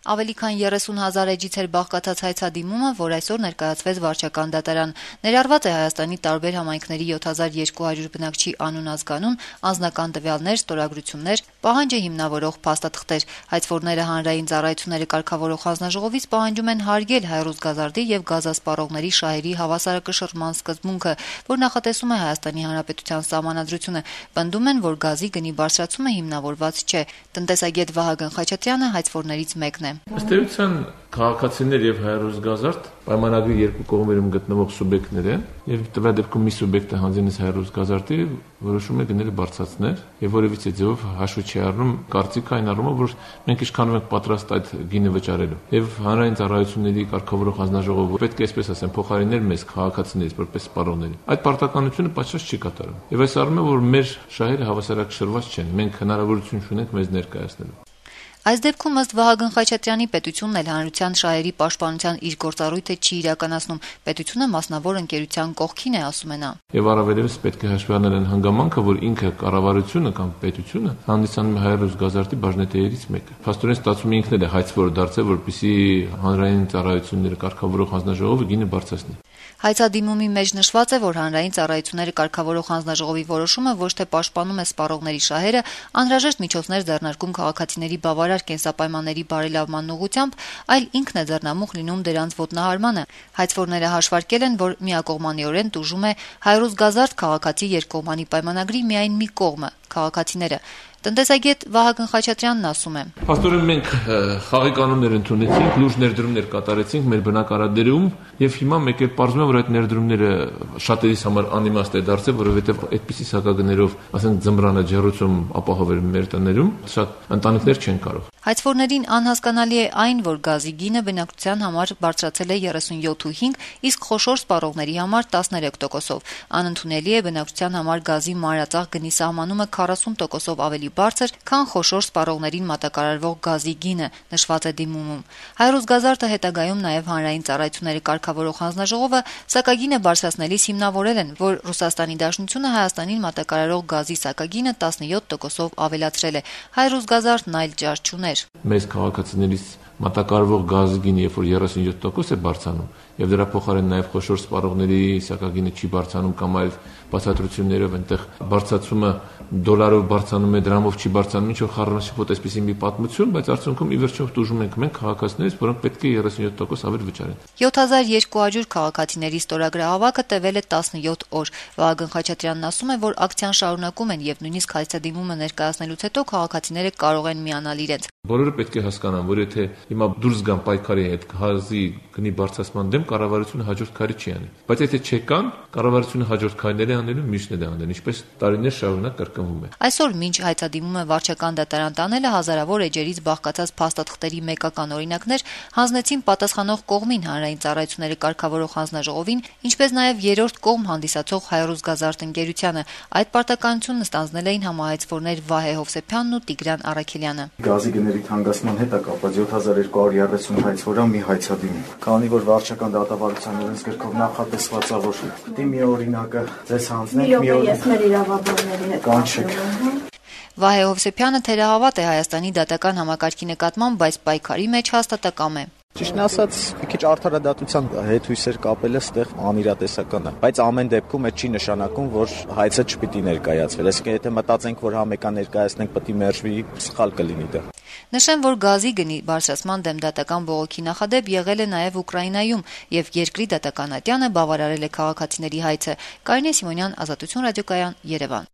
Ավելի քան 30,000 էջից էր բաղկացած հայցադիմումը, որ այսօր ներկայացվեց վարչական դատարան։ Ներառված է Հայաստանի տարբեր համայնքների 7200 բնակչի անուն-ազգանուն, անձնական տվյալներ, ստորագրություններ, պահանջը հիմնավորող փաստաթղթեր։ Հայցվորները հանրային ծառայությունները կարգավորող հանձնաժողովից պահանջում են հարգել Հայ-Ռուսգազարդի եւ գազասպառողների շահերի հավասարակշռման սկզբունքը, որ նախատեսում է Հայաստանի Հանրապետության Սահմանադրությունը։ Պնդում են, որ գազի գնի բարձրացումը հիմնավորված չէ։ Տնտեսագետ Վահագն Խաչատրյանը հայցվորներից մեկն է։ Ըստ էության քաղաքացիներ եւ Հայ-Ռուսգազարդ պայմանագրի երկու կողմերում գտնվող սուբյեկտներ են եւ տվյալ դեպքում մի սուբյեկտը հանձնից Հայ-Ռուսգազարդի որոշում է գները բարձրացնել եւ որևիցե ձեւով հաշվի չի առնում կարծիքը այն առումով, որ մենք ինչքանով ենք պատրաստ այդ գինը վճարելու եւ հանրային ծառայությունների կարգավորող հանձնաժողովը պետք է այսպես ասեմ փոխարինել մեզ քաղաքացիներից որպես սպառողների։ Այդ պարտականությունը պատշաճ չի կատարում եւ այս առումով որ մեր շահերը հավասարակշռված չեն, մենք հնարավորություն չունենք մեզ ներկայացնելու։ Այս դեպքում ըստ Վահագն Խաչատրյանի պետությունն էլ հանրության շահերի պաշտպանության իր գործառույթը չի իրականացնում։ Պետությունը մասնավոր ընկերության կողքին է, ասում է նա։ Եվ առավելևս պետք է հաշվի առնել այն հանգամանքը, որ ինքը կառավարությունը կամ պետությունը հանդիսանում է Հայ-Ռուսգազարդի բաժնետերերից մեկը։ Փաստորեն ստացվում է ինքն էլ է հայցվոր դարձել, որպեսզի հանրային ծառայությունները կարգավորող հանձնաժողովը գինը բարձրացնի։ Հայցադիմումի մեջ նշված է, որ հանրային ծառայությունները կարգավորող հանձնաժողովի որոշումը ոչ թե պաշտպանում է սպառողների շահերը, անհրաժեշտ միջոցներ ձեռնարկում քաղաքացիների բավարար կենսապայմանների բարելավման ուղղությամբ, այլ ինքն է ձեռնամուխ լինում դրանց ոտնահարմանը։ Հայցվորները հաշվարկել են, որ միակողմանիորեն տուժում է Հայ-Ռուսգազարդ քաղաքացի երկկողմանի պայմանագրի միայն մի կողմը՝ քաղաքացիները։ Տնտեսագետ Վահագն Խաչատրյանն ասում է. Փաստորեն մենք խաղի կանոններ ընդունեցինք, լուրջ ներդրումներ կատարեցինք մեր բնակարարներում եւ հիմա մեկ էլ պարզվում է, որ այդ ներդրումները շատերիս համար անիմաստ է դարձել, որովհետեւ այդպիսի սակագներով, ասենք ձմռանը ջեռուցում ապահովել մեր տներում, շատ ընտանիքներ չեն կարող։ Հայցվորներին անհասկանալի է այն, որ գազի գինը բնակչության համար բարձրացել է 37.5, իսկ խոշոր սպառողների համար 13%-ով։ Անընդունելի է բնակչության համար գազի մանրածախ գնի սահմանումը 40%-ով ավելի բարձր, քան խոշոր սպառողներին մատակարարվող գազի գինը, նշված է դիմումում։ Հայ-Ռուսգազարդը հետագայում նաև հանրային ծառայությունների կարգավորող հանձնաժողովը սակագինը բարձրացնելիս հիմնավորել են, որ Ռուսաստանի Դաշնությունը Հայաստանին մատակարարող գազի սակագինը 17%-ով ավելացրել է։ Հայ-Ռուսգազարդն այլ ճար չուներ։ Մեզ քաղաքացիներից մատակարարվող գազի գինը, երբ որ 37% է բարձրանում, եւ դրա փոխարեն նաեւ խոշոր սպառողների սակագինը չի բարձրանում կամ այլ բացատրություններով այնտեղ բարձրացումը դոլարով բարձրանում է, դրամով չի բարձրանում, ինչ որ խառնաշփոթ այսպեսի մի պատմություն, բայց արդյունքում ի վերջո տուժում ենք մենք քաղաքացիներից, որոնք պետք է 37% ավել վճարեն։ 7200 քաղաքացիների ստորագրահավաքը տևել է 17 օր։ Վահագն Խաչատրյանն ասում է, որ ակցիան շարունակում են եւ նույնիսկ հայցադիմումը ներկայացնելուց հետո քաղաքացիները կարող են միանալ իրենց։ Բոլորը պետք է հասկանան, որ եթե հիմա դուրս գան պայքարի հետ գազի գնի բարձրացման դեմ, կառավարությունը հաջորդ քայլի չի անի։ Բայց եթե չեկան, կառավարությունը հաջորդ քայլերը անելու միշտ է անելու, ինչպես տարիներ շարունակ կրկնվում է։ Այսօր մինչ հայցադիմումը վարչական դատարան տանելը հազարավոր էջերից բաղկացած փաստաթղթերի մեկական օրինակներ հանձնեցին պատասխանող կողմին հանրային ծառայությունների կարգավորող հանձնաժողովին, ինչպես նաև երրորդ կողմ հանդիսացող Հայ-Ռուսգազարդ ընկերությանը։ Այդ պարտականությունն ստանձնել էին համահայցվորներ Վահե Հովսեփյանն ու Տիգրան Արաքելյանը։ Գազի գների թանկացման հետ է կապված 7230 հայցվորա մի հայցադիմում։ Քանի որ վարչական դատավարության օրենսգրքով նախատեսված է, որ դի մի օրինակը ձեզ հանձնենք, մի օր ես մեր իրավաբանների հետ կանչեք։ Վահե Հովսեփյանը թերահավատ է Հայաստանի դատական համակարգի նկատմամբ, բայց պայքարի մեջ հաստատակամ է։ Ճիշտն ասած, մի քիչ արդարադատության հետ հույսեր կապելը ստեղ անիրատեսական է, բայց ամեն դեպքում այդ չի նշանակում, որ հայցը չպիտի ներկայացվի։ Այսինքն, եթե մտածենք, որ համեկան ներկայացնենք, պետք է մերժվի, սխալ կլինի դա։ Նշեմ, որ գազի գնի բարձրացման դեմ դատական բողոքի նախադեպ եղել է նաև Ուկրաինայում, եւ երկրի դատական ատյանը բավարարել է քաղաքացիների հայցը։ Կարինե Սիմոնյան, Ազատություն ռադիոկայան, Երևան։